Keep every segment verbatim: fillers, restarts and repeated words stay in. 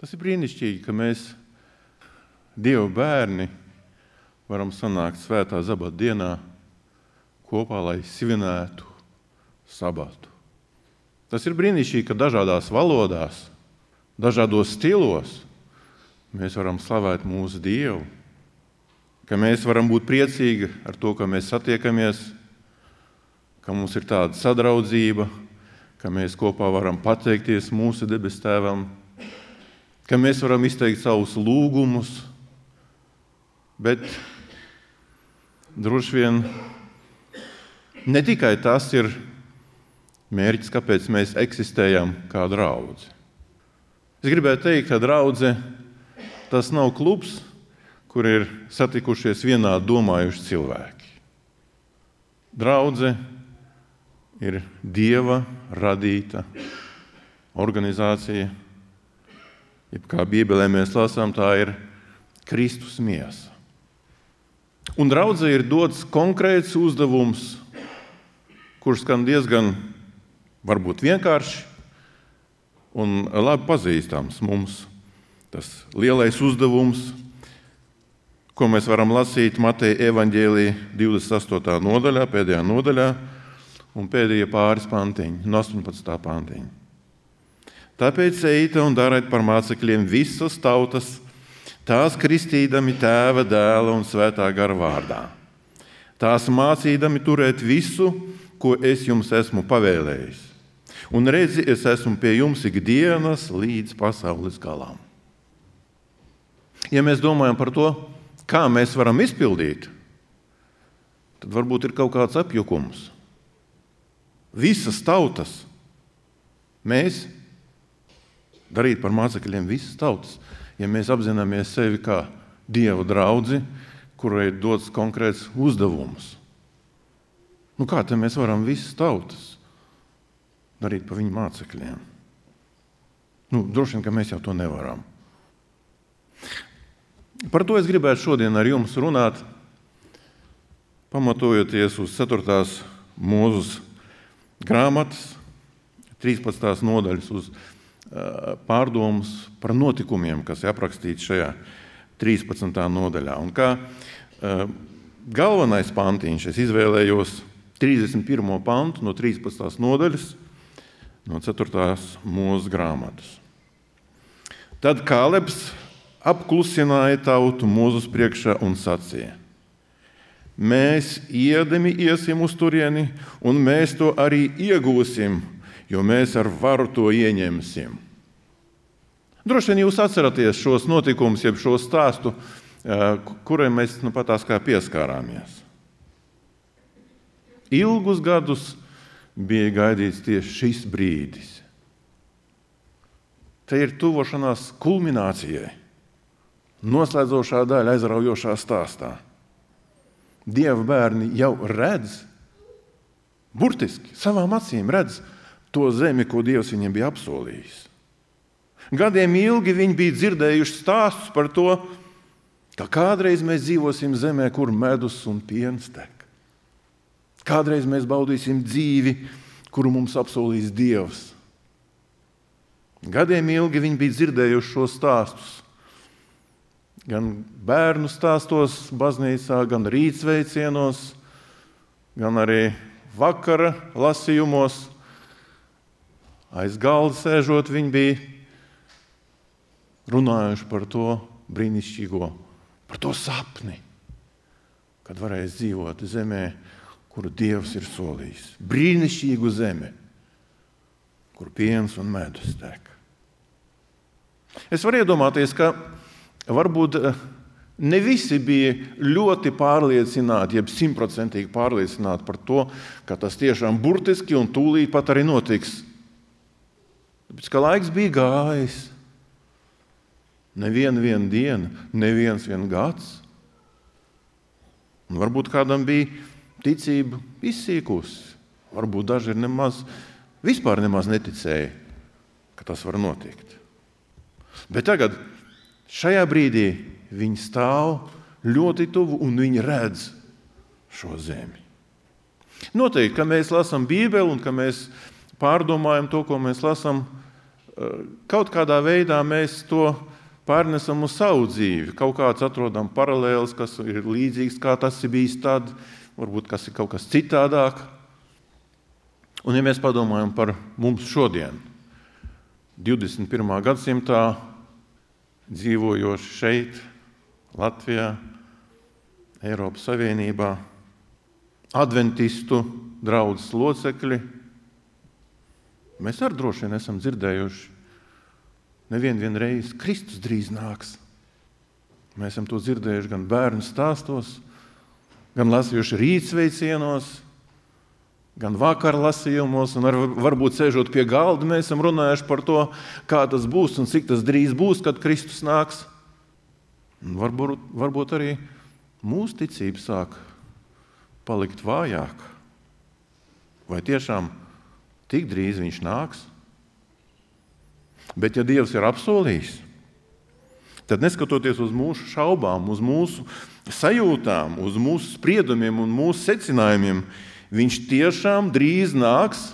Tas ir brīnišķīgi, ka mēs, Dieva bērni, varam sanākt svētā sabata dienā kopā, lai svinētu sabatu. Tas ir brīnišķīgi, ka dažādās valodās, dažādos stilos mēs varam slavēt mūsu Dievu, ka mēs varam būt priecīgi ar to, ka mēs satiekamies, ka mums ir tāda sadraudzība, ka mēs kopā varam pateikties mūsu debes Tēvam, ka mēs varam izteikt savus lūgumus, bet droši vien ne tikai tas ir mērķis, kāpēc mēs eksistējam kā draudze. Es gribētu teikt, ka draudze tas nav klubs, kur ir satikušies vienādi domājuši cilvēki. Draudze ir Dieva radīta organizācija, jeb kā Bībelē mēs lasām, tā ir Kristus miesa. Un draudzē ir dots konkrēts uzdevums, kurš skan diezgan varbūt vienkārši un labi pazīstams mums. Tas lielais uzdevums, ko mēs varam lasīt Mateja evaņģēlijā divdesmit astotā nodaļā, pēdējā nodaļā un pēdējie pāris pantiņi, no astoņpadsmitā pantiņa. Tāpēc ejiet un dariet par mācekļiem visas tautas, tās kristīdami Tēva, Dēla un Svētā gara vārdā. Tās mācīdami turēt visu, ko es jums esmu pavēlējis. Un redzi, es esmu pie jums ikdienas līdz pasaules galam. Ja mēs domājam par to, kā mēs varam izpildīt, tad varbūt ir kaut kāds apjukums. Visas tautas, mēs darīt par mācekļiem visas tautas, ja mēs apzināmies sevi kā Dieva draudzi, kurai ir dots konkrēts uzdevums. Nu, kā te mēs varam visas tautas darīt par viņu mācekļiem? Nu, droši vien, ka mēs jau to nevaram. Par to es gribētu šodien ar jums runāt, pamatojoties uz ceturtās Mūzes grāmatas, trīspadsmitās nodaļas, uz pārdomas par notikumiem, kas ir aprakstīti šajā trīspadsmitā nodaļā. Un kā uh, galvenais pantiņš es izvēlējos trīsdesmit pirmo pantu no trīspadsmitās nodaļas, no ceturtās Mūzes grāmatas. Tad Kālebs apklusināja tautu Mūzes priekšā un sacīja: mēs iedami iesim uz turieni, un mēs to arī iegūsim, jo mēs ar varu to ieņemsim. Droši vien jūs atceraties šos notikumus, jeb šo stāstu, kuriem mēs nu pat tās kā pieskārāmies. Ilgus gadus bija gaidīts tieši šis brīdis. Te ir tuvošanās kulminācijai, noslēdzošā daļa aizraujošā stāstā. Dieva bērni jau redz, burtiski savām acīm redz to zemi, ko Dievs viņiem bija apsolījis. Gadiem ilgi viņi bija dzirdējuši stāstus par to, ka kādreiz mēs dzīvosim zemē, kur medus un piens tek. Kādreiz mēs baudīsim dzīvi, kuru mums apsolīs Dievs. Gadiem ilgi viņi bija dzirdējuši šos stāstus. Gan bērnu stāstos baznīcā, gan rītsveicienos, gan arī vakara lasījumos. Aiz galda sēžot, viņi bija runājuši par to brīnišķīgo, par to sapni, kad varēs dzīvot zemē, kuru Dievs ir solījis. Brīnišķīgu zemi, kur piens un medus tek. Es varu iedomāties, ka varbūt ne visi bija ļoti pārliecināti, jeb simtprocentīgi pārliecināti par to, ka tas tiešām burtiski un tūlīt pat arī notiks. Tāpēc, ka laiks bija gājis. Neviena viena diena, neviens vien gads. Un varbūt kādam bija ticība izsīkusi. Varbūt daži ir nemaz, vispār nemaz neticēja, ka tas var notikt. Bet tagad, šajā brīdī, viņi stāv ļoti tuvu un viņi redz šo zemi. Noteikti, ka mēs lasām Bībeli un ka mēs pārdomājam to, ko mēs lasām, kaut kādā veidā mēs to pārnesam uz savu dzīvi. Kaut kāds atrodam paralēlis, kas ir līdzīgs, kā tas ir bijis tad, varbūt kas ir kaut kas citādāk. Un ja mēs padomājam par mums šodien, divdesmit pirmā gadsimtā, dzīvojoši šeit, Latvijā, Eiropas Savienībā, adventistu draudzes locekļi, mēs arī droši vien esam dzirdējuši nevienu vien reizi, Kristus drīz nāks. Mēs esam to dzirdējuši gan bērnu stāstos, gan lasījuši rītsveicienos, gan vakar lasījumos, un ar, varbūt sēžot pie galda, mēs esam runājuši par to, kā tas būs un cik tas drīz būs, kad Kristus nāks. Un varbūt, varbūt arī mūsu ticība sāk palikt vājāk. Vai tiešām tik drīz viņš nāks? Bet ja Dievs ir apsolījis, tad neskatoties uz mūsu šaubām, uz mūsu sajūtām, uz mūsu spriedumiem un mūsu secinājumiem, viņš tiešām drīz nāks.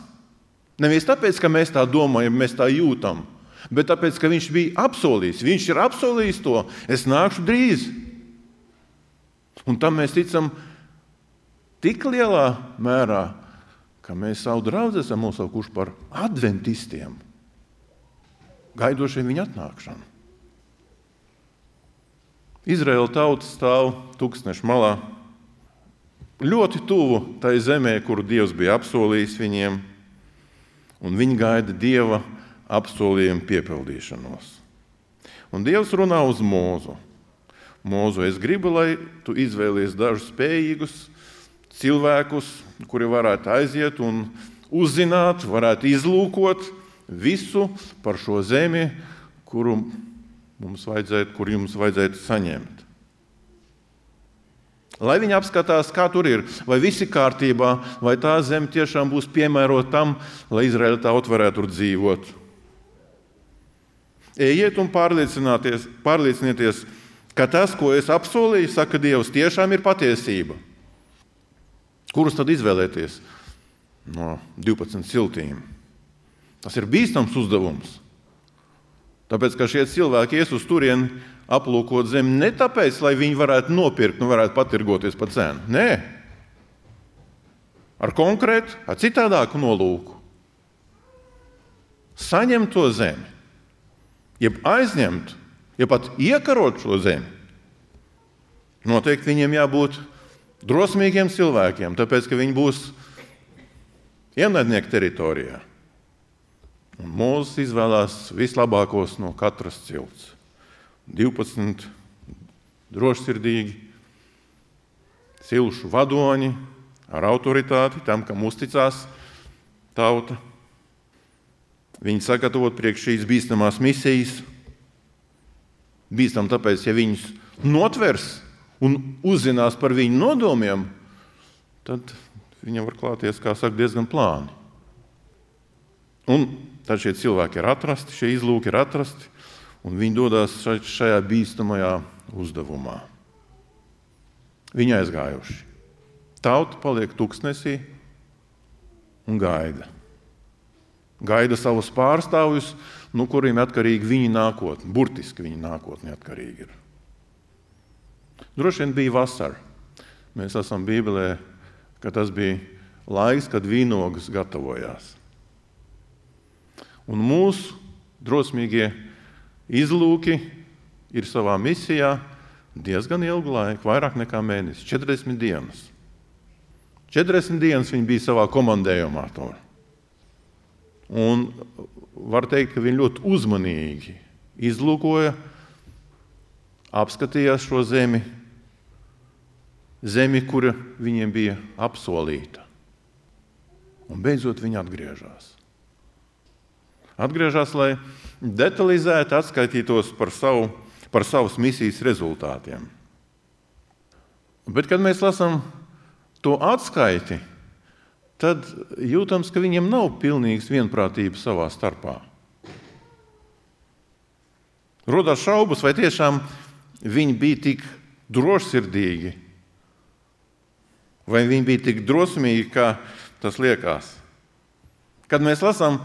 Nevis tāpēc, ka mēs tā domājam, mēs tā jūtam, bet tāpēc, ka viņš bija apsolījis. Viņš ir apsolījis to, es nākšu drīz. Un tam mēs ticam tik lielā mērā, ka mēs savu draudzi esam nosaukuši par adventistiem, gaidošiem viņa atnākšanu. Izraēla tauta stāv tūkstneša malā, ļoti tuvu tai zemē, kuru Dievs bija apsolījis viņiem, un viņi gaida Dieva apsolījumu piepildīšanos. Un Dievs runā uz Mūzu. Mūzu, es gribu, lai tu izvēlies dažus spējīgus cilvēkus, kuri varētu aiziet un uzzināt, varētu izlūkot visu par šo zemi, kuru mums vajadzētu, kur jums vajadzētu saņemt. Lai viņi apskatās, kā tur ir, vai viss ir kārtībā, vai tā zeme tiešām būs piemērota tam, lai Izraēla tauta varētu tur dzīvot. Ejiet un pārliecinieties, ka tas, ko es apsolīju, saka Dievs, tiešām ir patiesība. Kurus tad izvēlēties no divpadsmit ciltīm? Tas ir bīstams uzdevums. Tāpēc, ka šie cilvēki ies uz turieni aplūkot zemi ne tāpēc, lai viņi varētu nopirkt un varētu patirgoties par cenu. Nē. Ar konkrētu, ar citādāku nolūku. Saņemt to zemi, jeb aizņemt, jeb pat iekarot šo zemi. Noteikti viņiem jābūt drosmīgiem cilvēkiem, tāpēc, ka viņi būs ienaidnieku teritorijā. Un Mūzes izvēlās vislabākos no katras cilts. divpadsmit drošsirdīgi, cilšu vadoņi ar autoritāti, tam, kam uzticās tauta. Viņi sagatavot priekš šīs bīstamās misijas. Bīstam tāpēc, ja viņus notvers un uzzinās par viņu nodomiem, tad viņam var klāties, kā saka, diezgan plāni. Un tad šie cilvēki ir atrasti, šie izlūki ir atrasti, un viņi dodas šajā bīstamajā uzdevumā. Viņi aizgājuši. Tauta paliek tuksnesī un gaida. Gaida savus pārstāvjus, no kuriem atkarīgi viņa nākotne, burtiski viņa nākotne atkarīgi ir. Droši vien bija vasara. Mēs esam Bībelē, ka tas bija laiks, kad vīnogas gatavojās. Un mūsu drosmīgie izlūki ir savā misijā diezgan ilgu laiku, vairāk nekā mēnesi, četrdesmit dienas. četrdesmit dienas viņi bija savā komandējumā. To. Un var teikt, ka viņi ļoti uzmanīgi izlūkoja, apskatījās šo zemi, zemi, kura viņiem bija apsolīta. Un beidzot viņi atgriežas. Atgriežas, lai detalizēti atskaitītos par, savu, par savas misijas rezultātiem. Bet, kad mēs lasām to atskaiti, tad jūtams, ka viņiem nav pilnīgas vienprātības savā starpā. Rodās šaubas, vai tiešām viņi bija tik drošsirdīgi, vai viņi bija tik drosmīgi, kā tas liekas. Kad mēs lasām,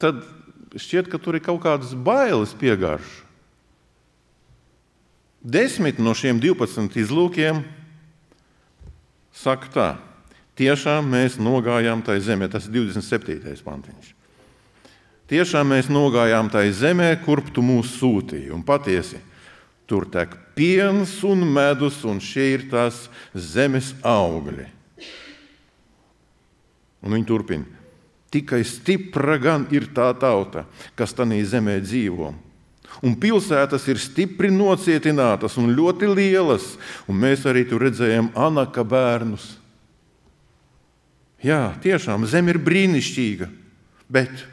tad šķiet, ka tur ir kaut kādas bailes piegarš. Desmit no šiem divpadsmit izlūkiem saka tā: tiešām mēs nogājām tai zemē, tas ir divdesmit septītais pantiņš. Tiešām mēs nogājām tai zemē, kurp tu mūs sūtīji, un patiesi tur tek piens un medus, un šie ir tās zemes augļi. Un viņi turpina: tikai stipra gan ir tā tauta, kas tanī zemē dzīvo. Un pilsētas ir stipri nocietinātas un ļoti lielas, un mēs arī tur redzējām Anaka bērnus. Jā, tiešām, zeme ir brīnišķīga, bet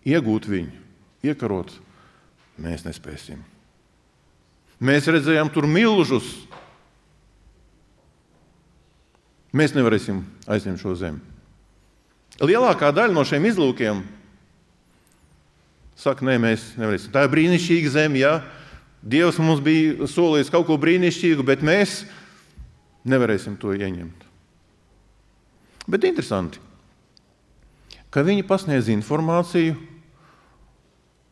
iegūt viņu, iekarot, mēs nespēsim. Mēs redzējām tur milžus. Mēs nevarēsim aizņemt šo zemi. Lielākā daļa no šiem izlūkiem saka, nē, mēs nevarēsim. Tā ir brīnišķīga zeme, jā. Dievs mums bija solījis kaut ko brīnišķīgu, bet mēs nevarēsim to ieņemt. Bet interesanti, ka viņi pasniedz informāciju,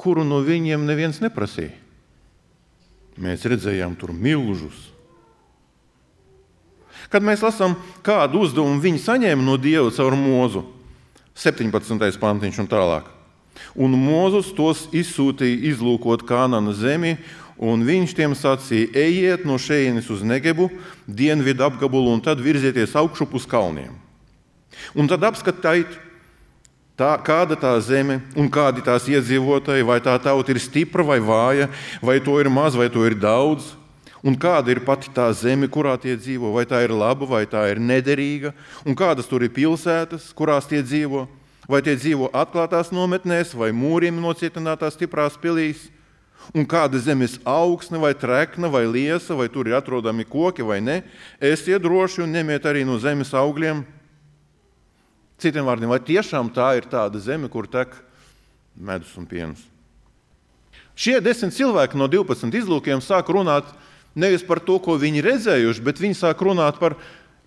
kuru no viņiem neviens neprasīja. Mēs redzējām tur milžus. Kad mēs lasām, kādu uzdevumu viņi saņēma no Dieva caur Mozu, septiņpadsmitais pantiņš un tālāk. Un Mozus tos izsūtīja izlūkot Kānana zemi, un viņš tiem sacīja: ejiet no šejienes uz Negebu, dienvidu apgabalu, un tad virzieties augšup uz kalniem. Un tad apskatiet, tā, kāda tā zeme un kādi tās iedzīvotāji, vai tā tauta ir stipra vai vāja, vai to ir maz, vai to ir daudz, un kāda ir pati tā zeme, kurā tie dzīvo, vai tā ir laba, vai tā ir nederīga, un kādas tur ir pilsētas, kurās tie dzīvo, vai tie dzīvo atklātās nometnēs, vai mūriem nocietinātās stiprās pilīs, un kāda zemes augsne, vai trekna, vai liesa, vai tur ir atrodami koki, vai ne, esiet droši un ņemiet arī no zemes augļiem. Citiem vārdiem, vai tiešām tā ir tāda zeme, kur tek medus un piens? Šie desmit cilvēki no divpadsmit izlūkiem sāk runāt nevis par to, ko viņi redzējuši, bet viņi sāk runāt par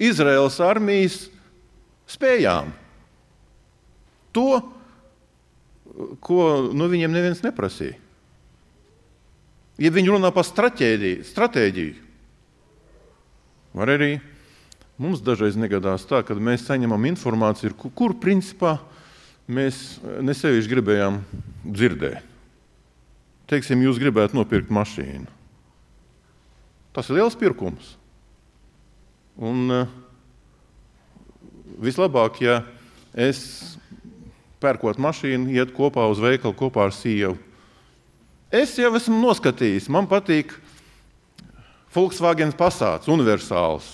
Izraēlas armijas spējām. To, ko no viņiem neviens neprasīja. Ja viņi runā par stratēģiju, stratēģiju, var arī mums dažreiz negadās tā, kad mēs saņemam informāciju, kur, kur principā mēs nesevišķi gribējām dzirdēt. Teiksim, jūs gribētu nopirkt mašīnu. Tas ir liels pirkums. Un uh, vislabāk, ja es pērkot mašīnu, iet kopā uz veikalu kopā ar sievu. Es jau esmu noskatījis, man patīk Volkswagen Passats, universāls,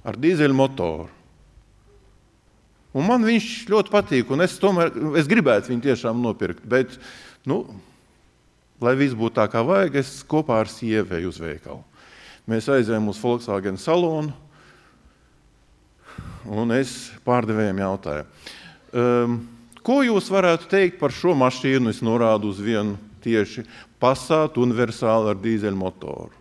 ar dīzeļu motoru. Un man viņš ļoti patīk, un es tomēr, es gribētu viņu tiešām nopirkt, bet, nu, lai viss būtu tā, kā vajag, es kopā ar sievēju uz veikalu. Mēs aizējām uz Volkswagen salonu, un es pārdevējiem jautāju, um, ko jūs varētu teikt par šo mašīnu? Es norādu uz vienu tieši Passat universāli ar dīzeļu motoru.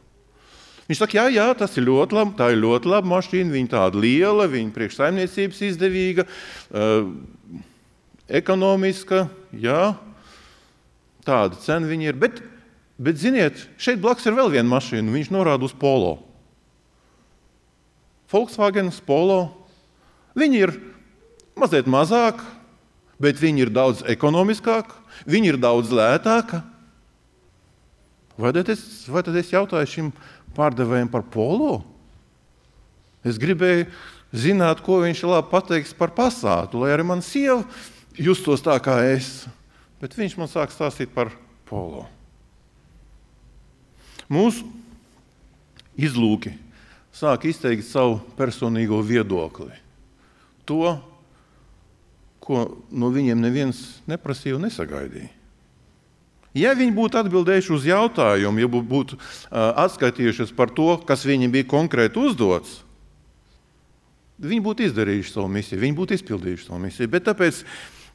Viņš saka, jā, jā, tas ir ļoti labi, tā ir ļoti laba mašīna, viņa tāda liela, viņa priekš saimniecības izdevīga, uh, ekonomiska, jā, tāda cena viņa ir. Bet, bet, ziniet, šeit blakus ir vēl viena mašīna, viņš norāda uz Polo. Volkswagen Polo, viņi ir mazliet mazāk, bet viņi ir daudz ekonomiskāka, viņi ir daudz lētāka. Vai tad es, vai tad es jautāju šim pārdevējiem par Polo? Es gribēju zināt, ko viņš labi pateiks par Passatu, lai arī man sieva justos tā kā es. Bet viņš man sāk stāstīt par Polo. Mūsu izlūki sāk izteikt savu personīgo viedokli. To, ko no viņiem neviens neprasīja un nesagaidīja. Ja viņi būtu atbildējuši uz jautājumu, ja būtu uh, atskaitījušies par to, kas viņiem bija konkrēti uzdots, viņi būtu izdarījuši savu misiju, viņi būtu izpildījuši savu misiju. Bet tāpēc,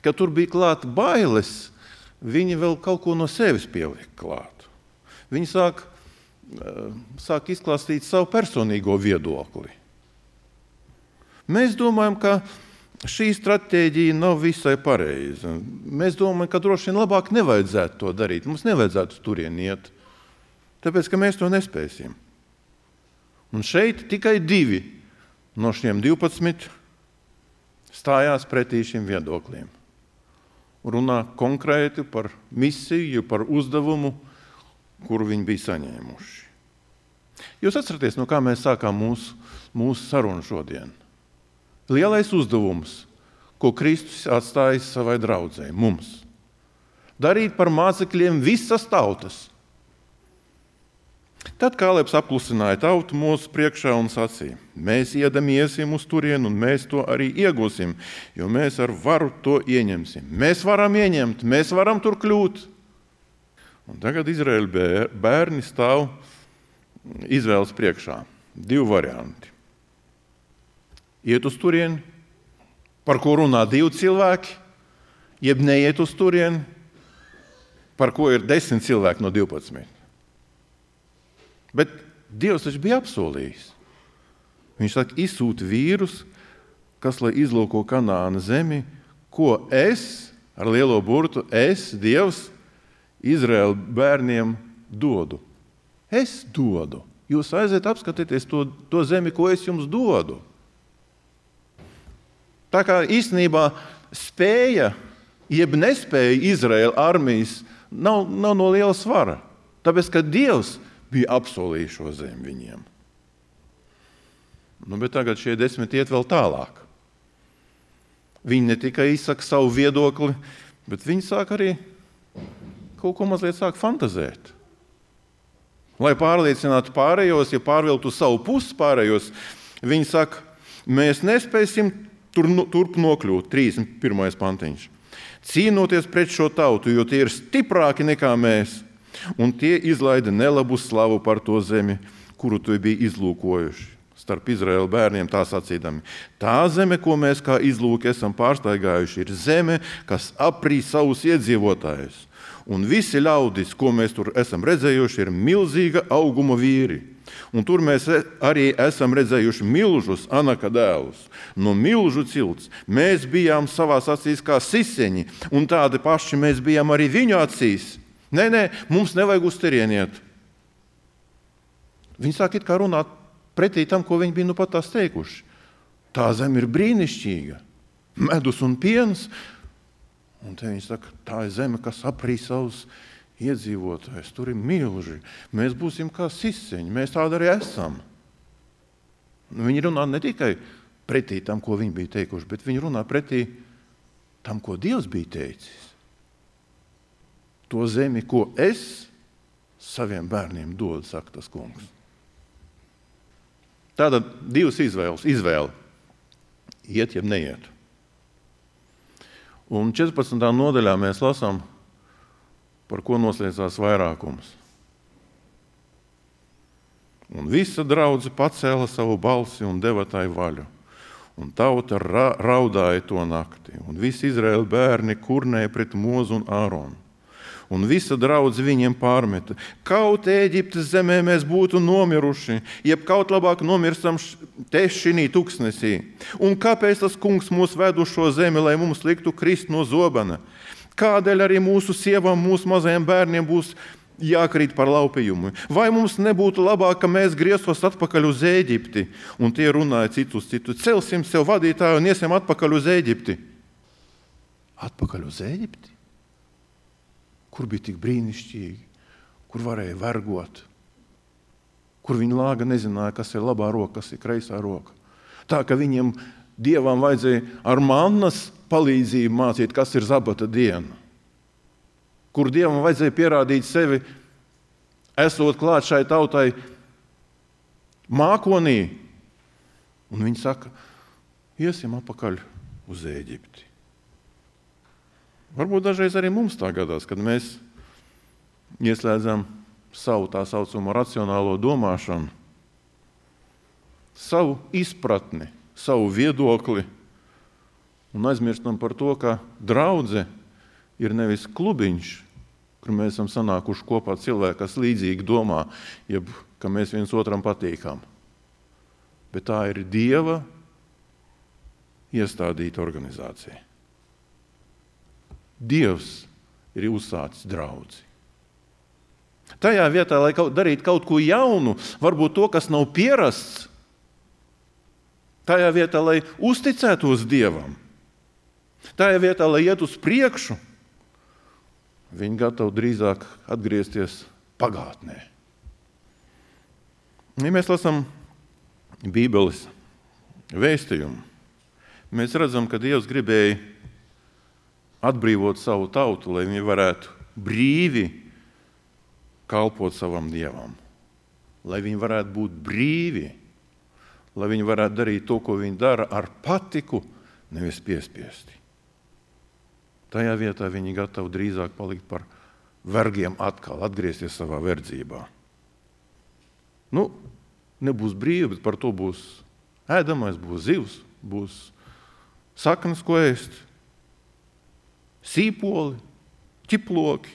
ka tur bija klāt bailes, viņi vēl kaut ko no sevis pieliek klāt. Viņi sāk, uh, sāk izklāstīt savu personīgo viedokli. Mēs domājam, ka šī stratēģija nav visai pareiza. Mēs domājam, ka droši vien labāk nevajadzētu to darīt. Mums nevajadzētu turien iet, tāpēc, ka mēs to nespēsim. Un šeit tikai divi no šiem divpadsmit stājās pretī šim viedoklim. Runā konkrēti par misiju, par uzdevumu, kuru viņi bija saņēmuši. Jūs atceraties, no kā mēs sākām mūsu, mūsu sarunu šodien? Lielais uzdevums, ko Kristus atstājis savai draudzei, mums. Darīt par mācekļiem visas tautas. Tad Kālebs apklusināja tautu mūsu priekšā un sacīja: mēs iedam iesim uz turienu un mēs to arī iegūsim, jo mēs ar varu to ieņemsim. Mēs varam ieņemt, mēs varam tur kļūt. Un tagad Izraēļa bērni stāv izvēles priekšā. Divi varianti. Iet uz turieni, par ko runā divi cilvēki, jeb neiet uz turieni, par ko ir desmit cilvēki no divpadsmit. Bet Dievs taču bija apsolījis. Viņš saka, izsūta vīrus, kas lai izlūko Kanāna zemi, ko es, ar lielo burtu, es, Dievs, Izraēla bērniem dodu. Es dodu. Jūs aiziet apskatieties to, to zemi, ko es jums dodu. Tā kā īstenībā spēja, jeb nespēja Izraēla armijas nav, nav no liela svara. Tāpēc, ka Dievs bija apsolījis šo zemi viņiem. Nu, bet tagad šie desmit iet vēl tālāk. Viņi ne tikai izsaka savu viedokli, bet viņi sāk arī kaut ko mazliet sāk fantazēt. Lai pārliecinātu pārējos, ja pārviltu savu pusi pārējos, viņi saka, mēs nespēsim tur, turp nokļūt, trīsdesmit pirmais pantiņš. Cīnoties pret šo tautu, jo tie ir stiprāki nekā mēs, un tie izlaida nelabu slavu par to zemi, kuru tu bija izlūkojuši. Starp Izraēla bērniem tā sacīdami. Tā zeme, ko mēs kā izlūki esam pārstaigājuši, ir zeme, kas aprī savus iedzīvotājus. Un visi ļaudis, ko mēs tur esam redzējuši, ir milzīga auguma vīri. Un tur mēs arī esam redzējuši milžus, Anaka dēlus, no milžu cilts. Mēs bijām savās acīs kā siseņi, un tādi paši mēs bijām arī viņu acīs. Nē, nē, mums nevajag uz turieniet. Viņi sāk it kā runāt pretī tam, ko viņi bija nu pat tās teikuši. Tā zeme ir brīnišķīga, medus un piens. Un te viņi saka, tā ir zeme, kas aprī savus iedzīvotājus. Tur ir milži. Mēs būsim kā siseņi, mēs tādi arī esam. Viņi runā ne tikai pretī tam, ko viņi bija teikuši, bet viņi runā pretī tam, ko Dievs bija teicis. To zemi, ko es saviem bērniem dodu, saka tas kungs. Tātad divas izvēles. Izvēle. Iet, jeb neiet. Un četrpadsmitā nodaļā mēs lasām, par ko noslēdzās vairākums. Un visa draudze pacēla savu balsi un deva tai vaļu. Un tauta ra- raudāja to nakti. Un visi Izraēla bērni kurnēja pret Mozu un Āronu. Un visa draudze viņiem pārmeta. Kaut Ēģiptes zemē mēs būtu nomiruši, jeb kaut labāk nomirstam te šinī tuksnesī. Un kāpēc tas kungs mūs ved uz šo zemi, lai mums liktu krist no zobena? Kādēļ arī mūsu sievām, mūsu mazajiem bērniem būs jākrīt par laupījumu? Vai mums nebūtu labāk, ka mēs grieztos atpakaļ uz Ēģipti? Un tie runāja citu uz citu. Celsim sev vadītāju un iesim atpakaļ uz Ēģipti. Atpakaļ uz Ēģipti? Kur bija tik brīnišķīgi, kur varēja vergot, kur viņi lāga nezināja, kas ir labā roka, kas ir kreisā roka. Tā, ka viņiem Dievam vajadzēja ar mannas palīdzību mācīt, kas ir sabata diena. Kur Dievam vajadzēja pierādīt sevi, esot klāt šai tautai mākonī. Un viņi saka, iesim apakaļ uz Ēģipti. Varbūt dažreiz arī mums tā gadās, kad mēs ieslēdzam savu tā saucamo racionālo domāšanu, savu izpratni, savu viedokli un aizmirstam par to, ka draudze ir nevis klubiņš, kur mēs esam sanākuši kopā cilvēki, kas līdzīgi domā, jeb ka mēs viens otram patīkam. Bet tā ir Dieva iestādīta organizācija. Dievs ir uzsācis draudzi. Tajā vietā, lai kaut, darītu kaut ko jaunu, varbūt to, kas nav pierasts, tajā vietā, lai uzticētos Dievam, tajā vietā, lai iet uz priekšu, viņi gatavi drīzāk atgriezties pagātnē. Ja mēs lasām Bībeles vēstījumu, mēs redzam, ka Dievs gribēja atbrīvot savu tautu, lai viņi varētu brīvi kalpot savam Dievam, lai viņi varētu būt brīvi, lai viņi varētu darīt to, ko viņi dara ar patiku, nevis piespiesti. Tajā vietā viņi gatavi drīzāk palikt par vergiem atkal, atgriezties savā verdzībā. Nu, nebūs brīvi, bet par to būs ēdamais, būs zivs, būs saknes, ko ēst, sīpoli, ķiploki.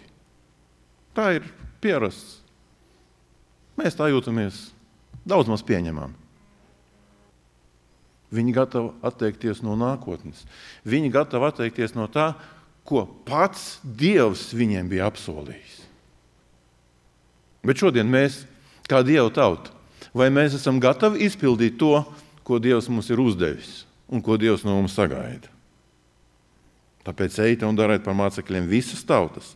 Tā ir pierasts. Mēs tā jūtamies daudz maz pieņemami. Viņi gatavi atteikties no nākotnes. Viņi gatavi atteikties no tā, ko pats Dievs viņiem bija apsolījis. Bet šodien mēs, kā Dieva tauta, vai mēs esam gatavi izpildīt to, ko Dievs mums ir uzdevis un ko Dievs no mums sagaida? Tāpēc ejiet un dariet par mācekļiem visas tautas,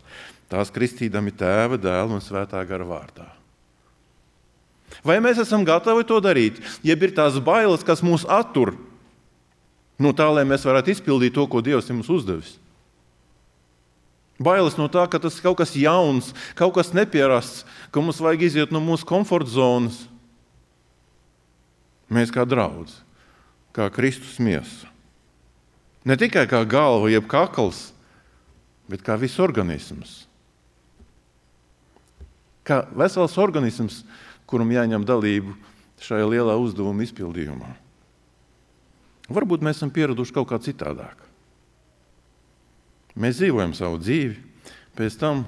tās kristīdami Tēva, Dēla un Svētā gara vārdā. Vai mēs esam gatavi to darīt, jeb ir tās bailes, kas mūs attur no tā, lai mēs varētu izpildīt to, ko Dievs ir mums uzdevis? Bailes no tā, ka tas ir kaut kas jauns, kaut kas nepierasts, ka mums vajag iziet no mūsu komforta zonas. Mēs kā draudz, kā Kristus miesa. Ne tikai kā galva, jeb kakls, bet kā viss organisms. Kā vesels organisms, kuram jāņem dalību šajā lielā uzdevuma izpildījumā. Varbūt mēs esam pieraduši kaut kā citādāk. Mēs dzīvojam savu dzīvi, pēc tam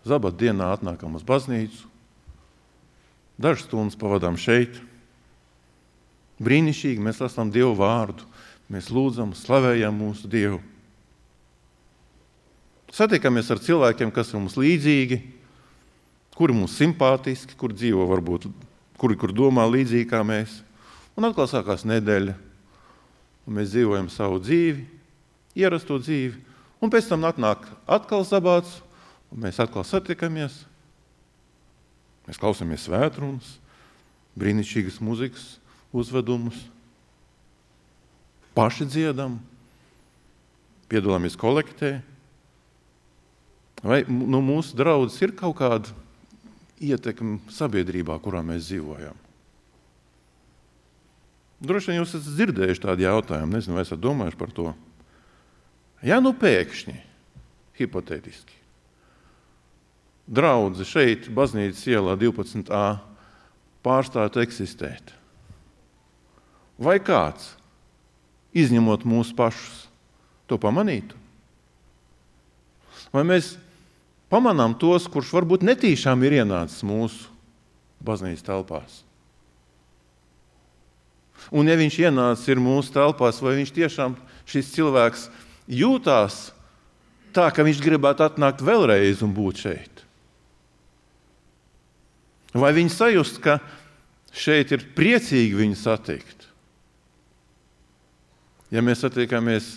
zabat dienā atnākam uz baznīcu, dažas stundas pavadām šeit. Brīnišķīgi mēs lasām Dievu vārdu, mēs lūdzam, slavējam mūsu Dievu. Satiekamies ar cilvēkiem, kas ir mums līdzīgi, kuri mums simpātiski, kur dzīvo varbūt, kuri kur domā līdzīgi kā mēs. Un atkal sākās nedēļa, un mēs dzīvojam savu dzīvi, ierasto dzīvi, un pēc tam atnāk atkal sabāts, un mēs atkal satiekamies. Mēs klausāmies svētrunas, brīnišķīgas muzikas, uzvedumus, paši dziedam, piedalāmies kolektē. Vai nu, mūsu draudzes ir kaut kāda ietekme sabiedrībā, kurā mēs dzīvojam? Droši vien jūs esat dzirdējuši tādu jautājumu, nezinu, vai esat domājuši par to. Ja nu pēkšņi, hipotētiski, draudze šeit, baznīcas ielā divpadsmit A, pārstātu eksistēt, vai kāds, izņemot mūsu pašus, to pamanītu? Vai mēs pamanām tos, kurš varbūt netīšām ir ienācis mūsu baznīcas telpās? Un ja viņš ienācis ir mūsu telpās, vai viņš tiešām šis cilvēks jūtās tā, ka viņš gribētu atnākt vēlreiz un būt šeit? Vai viņi sajust, ka šeit ir priecīgi viņu satikt? Ja mēs satiekamies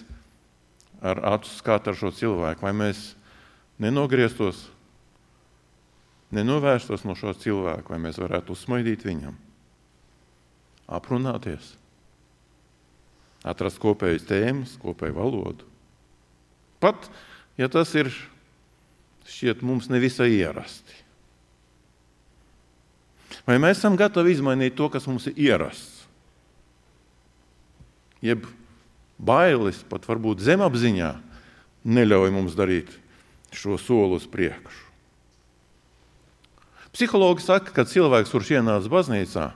ar acu skatu ar šo cilvēku, vai mēs nenogrieztos, nenovērstos no šo cilvēku, vai mēs varētu uzsmaidīt viņam, aprunāties, atrast kopējas tēmas, kopēju valodu. Pat, ja tas ir šķiet mums nevisai ierasti. Vai mēs esam gatavi izmainīt to, kas mums ir ierasts? Jeb bailes, pat varbūt zemapziņā, neļauj mums darīt šo soli uz priekšu. Psihologi saka, ka cilvēks, kurš ienāca baznīcā,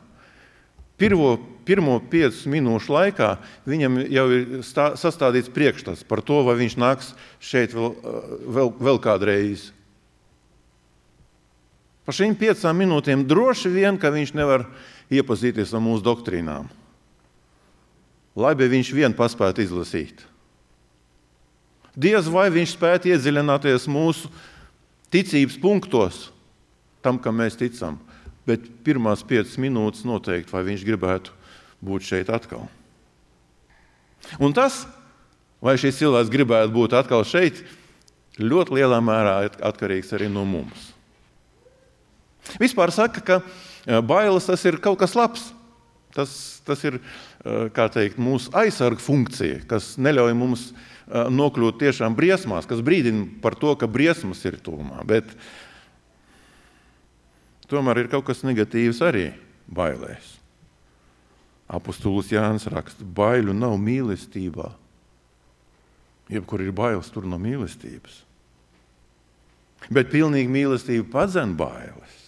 pirmo, pirmo piecu minūšu laikā viņam jau ir stā, sastādīts priekšstats par to, vai viņš nāks šeit vēl, vēl, vēl kādreiz. Par šīm piecām minūtēm droši vien, ka viņš nevar iepazīties ar mūsu doktrīnām. lai bija viņš vien paspētu izlasīt. Diez vai viņš spētu iedziļināties mūsu ticības punktos, tam, kam mēs ticam, bet pirmās piecas minūtes noteikti, vai viņš gribētu būt šeit atkal. Un tas, vai šis cilvēks gribētu būt atkal šeit, ļoti lielā mērā atkarīgs arī no mums. Vispār saka, ka bailes tas ir kaut kas labs. Tas, tas ir, kā teikt, mūsu aizsarga funkcija, kas neļauj mums nokļūt tiešām briesmās, kas brīdina par to, ka briesmas ir tuvumā. Bet tomēr ir kaut kas negatīvs arī bailēs. Apostols Jānis raksta, baiļu nav mīlestībā. Jebkur ir bailes, tur nav mīlestības. Bet pilnīgi mīlestība padzen bailes.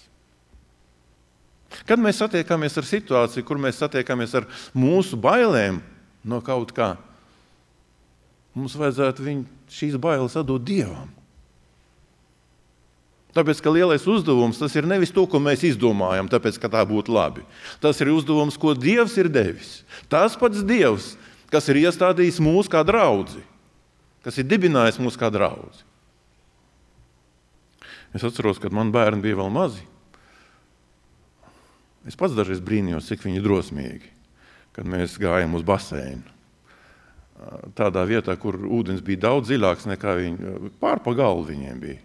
Kad mēs satiekamies ar situāciju, kur mēs satiekamies ar mūsu bailēm no kaut kā, mums vajadzētu viņu, šīs bailes atdot Dievam. Tāpēc, ka lielais uzdevums, tas ir nevis to, ko mēs izdomājam, tāpēc, ka tā būtu labi. Tas ir uzdevums, ko Dievs ir devis. Tas pats Dievs, kas ir iestādījis mūs kā draudzi, kas ir dibinājis mūs kā draudzi. Es atceros, kad man bērni bija vēl mazi. Es pats dažreiz brīnījos, cik viņi drosmīgi, kad mēs gājām uz baseinu. Tādā vietā, kur ūdens bija daudz dziļāks nekā viņi, pār pa galvu viņiem bija.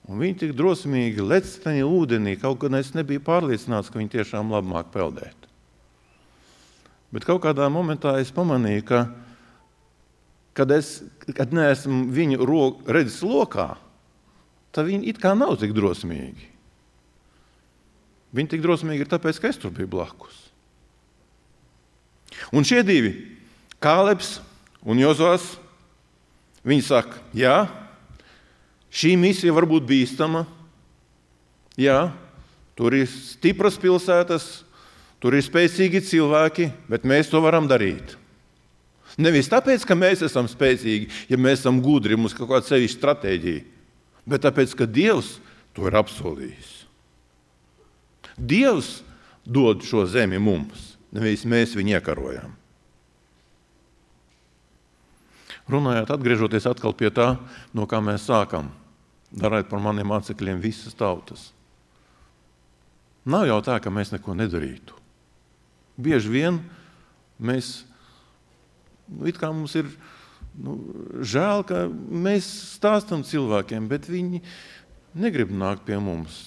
Un viņi tik drosmīgi lec taņi ūdenī, kaut gan es nebiju pārliecināts, ka viņi tiešām labi māk peldēt. Bet kaut kādā momentā es pamanīju, ka, kad es kad neesmu viņu ro- redzes lokā, tad viņi it kā nav tik drosmīgi. Viņi tik drosmīgi ir tāpēc, ka es tur biju blakus. Un šie divi, Kālebs un Jozās, viņi saka, jā, šī misija var būt bīstama, jā, tur ir stipras pilsētas, tur ir spēcīgi cilvēki, bet mēs to varam darīt. Nevis tāpēc, ka mēs esam spēcīgi, ja mēs esam gudri, mums kaut kāda sevišķa stratēģija, bet tāpēc, ka Dievs to ir apsolījis. Dievs dod šo zemi mums, nevis mēs viņu iekarojam. Runājot, atgriežoties atkal pie tā, no kā mēs sākam, darēt par maniem mācekļiem visas tautas. Nav jau tā, ka mēs neko nedarītu. Bieži vien mēs, nu, it kā mums ir nu, žēl, ka mēs stāstam cilvēkiem, bet viņi negrib nākt pie mums.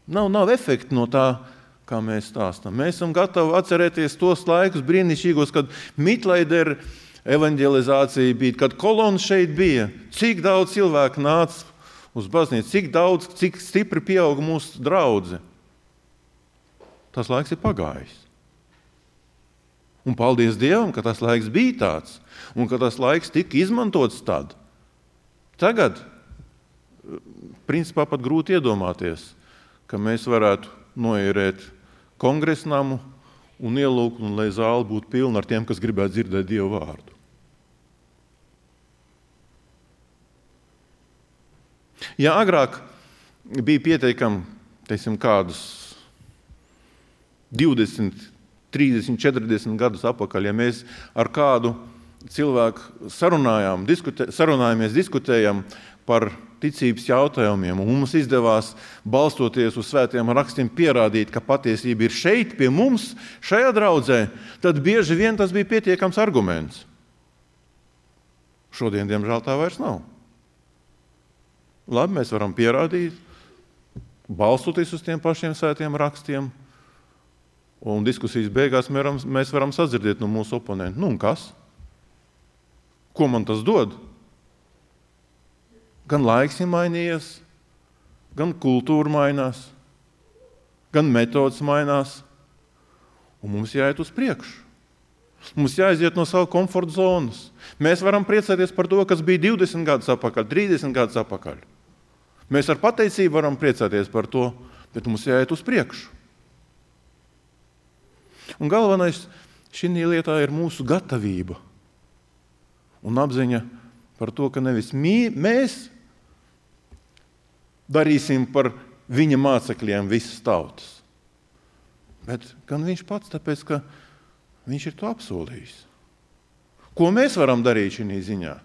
Nav, nav efekti no tā, kā mēs stāstam. Mēs esam gatavi atcerēties tos laikus brīnišķīgos, kad Mitlaidera evanģelizācija bija, kad kolona šeit bija. Cik daudz cilvēku nāca uz baznīcu, cik daudz, cik stipri pieauga mūsu draudze. Tas laiks ir pagājis. Un paldies Dievam, ka tas laiks bija tāds, un ka tas laiks tika izmantots tad. Tagad, principā, pat grūti iedomāties, ka mēs varētu noierēt kongresnamu un ielūgt, un lai zāle būtu pilna ar tiem, kas gribētu dzirdēt Dievu vārdu. Ja agrāk bija pieteikami, teiksim, kādus divdesmit, trīsdesmit, četrdesmit gadus atpakaļ, ja mēs ar kādu cilvēku sarunājām, diskutē, sarunājamies, diskutējam par ticības jautājumiem, un mums izdevās, balstoties uz svētiem rakstiem, pierādīt, ka patiesība ir šeit pie mums, šajā draudzē, tad bieži vien tas bija pietiekams arguments. Šodien, diemžēl, tā vairs nav. Labi, mēs varam pierādīt, balstoties uz tiem pašiem svētiem rakstiem, un diskusijas beigās mēs varam, mēs varam sadzirdēt no mūsu oponentu. Nu un kas? Ko man tas dod? Gan laiks ir mainījies, gan kultūra mainās, gan metodas mainās, un mums jāiet uz priekšu. Mums jāiziet no savu komforta zonas. Mēs varam priecāties par to, kas bija divdesmit gadus atpakaļ, trīsdesmit gadus atpakaļ. Mēs ar pateicību varam priecāties par to, bet mums jāiet uz priekšu. Un galvenais šī lietā ir mūsu gatavība un apziņa par to, ka nevis mī, mēs darīsim par viņa mācekļiem visas tautas, bet gan viņš pats, tāpēc, ka Viņš ir to apsolījis. Ko mēs varam darīt šī ziņā?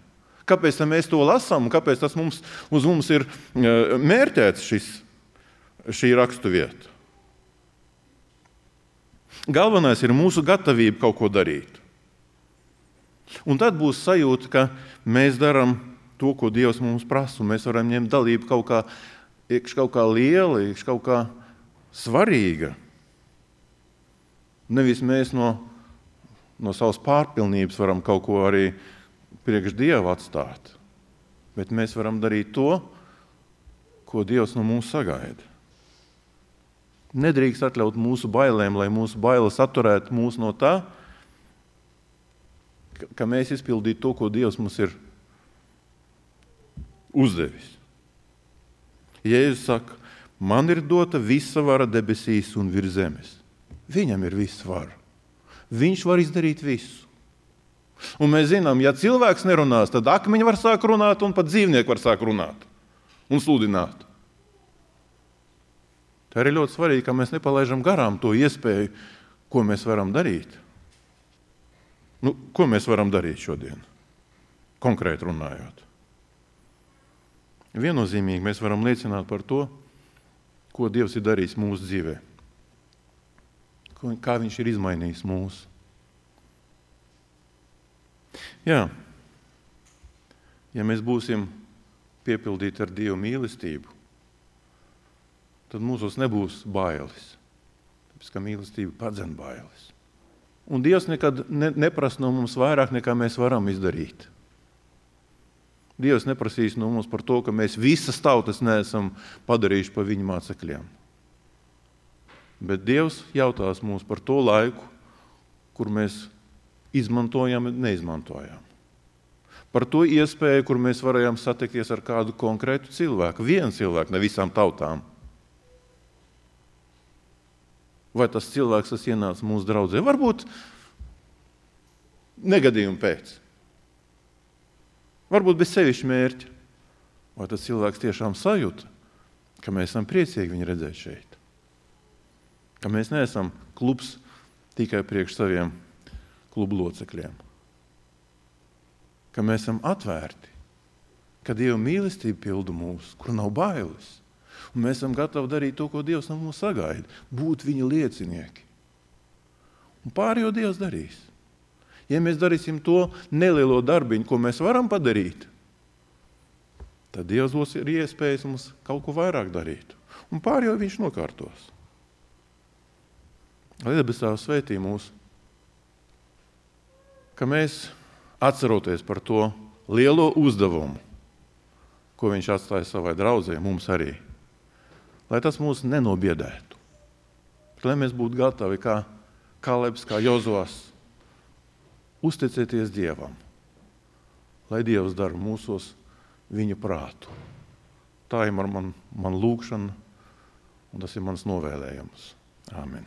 Kāpēc mēs to lasām un kāpēc tas mums, uz mums ir mērķēts šis, šī raksturvieta? Galvenais ir mūsu gatavība kaut ko darīt. Un tad būs sajūta, ka mēs darām to, ko Dievs mums prasa, un mēs varam ņemt dalību kaut kā, iekš kaut kā liela, iekš kaut kā svarīga. Nevis mēs no, no savas pārpilnības varam kaut ko arī priekš Dieva atstāt, bet mēs varam darīt to, ko Dievs no mums sagaida. Nedrīkst atļaut mūsu bailēm, lai mūsu bailes atturētu mūs no tā, ka mēs izpildītu to, ko Dievs mums ir uzdevis. Jēzus saka, man ir dota visa vara debesīs un virs zemes. Viņam ir visa vara. Viņš var izdarīt visu. Un mēs zinām, ja cilvēks nerunās, tad akmeņi var sāk runāt un pat dzīvnieki var sāk runāt un sludināt. Tā ir ļoti svarīgi, ka mēs nepalaižam garām to iespēju, ko mēs varam darīt. Nu, ko mēs varam darīt šodien? Konkrēti runājot. Viennozīmīgi mēs varam liecināt par to, ko Dievs ir darījis mūsu dzīvē. Kā viņš ir izmainījis mūsu. Jā, ja mēs būsim piepildīti ar Dievu mīlestību, tad mūsos nebūs bailes. Tāpēc, ka mīlestība padzen bailes. Un Dievs nekad ne, neprasa no mums vairāk, nekā mēs varam izdarīt. Dievs neprasīs no mums par to, ka mēs visas tautas neesam padarījuši pa viņa mācekļiem. Bet Dievs jautās mums par to laiku, kur mēs izmantojam un neizmantojam. Par to iespēju, kur mēs varējām satikties ar kādu konkrētu cilvēku. Vienu cilvēku, ne visām tautām. Vai tas cilvēks, kas ienāca mūsu draudzē? Varbūt negadījumu pēc. Varbūt bez sevišķa mērķa. Vai tas cilvēks tiešām sajūta, ka mēs esam priecīgi viņu redzēt šeit? Ka mēs neesam klubs tikai priekš saviem klubu locekļiem. Ka mēs esam atvērti, ka Dieva mīlestība pilda mūs, kur nav bailes. Un mēs esam gatavi darīt to, ko Dievs no mums sagaida, būt viņa liecinieki. Un pārējo Dievs darīs. Ja mēs darīsim to nelielo darbiņu, ko mēs varam padarīt, tad Dievs būs ir iespējas mums kaut ko vairāk darīt. Un pārējo viņš nokārtos. Lai debesīs svētī mūs, ka mēs atceroties par to lielo uzdevumu, ko viņš atstāja savai draudzē, mums arī. Lai tas mūs nenobiedētu. Lai mēs būtu gatavi, kā Kalebs, kā Jozovs, uzticēties Dievam. Lai Dievs dara mūsos viņa prātu. Tā ir man, man, man lūgšana, un tas ir mans novēlējums. Āmen.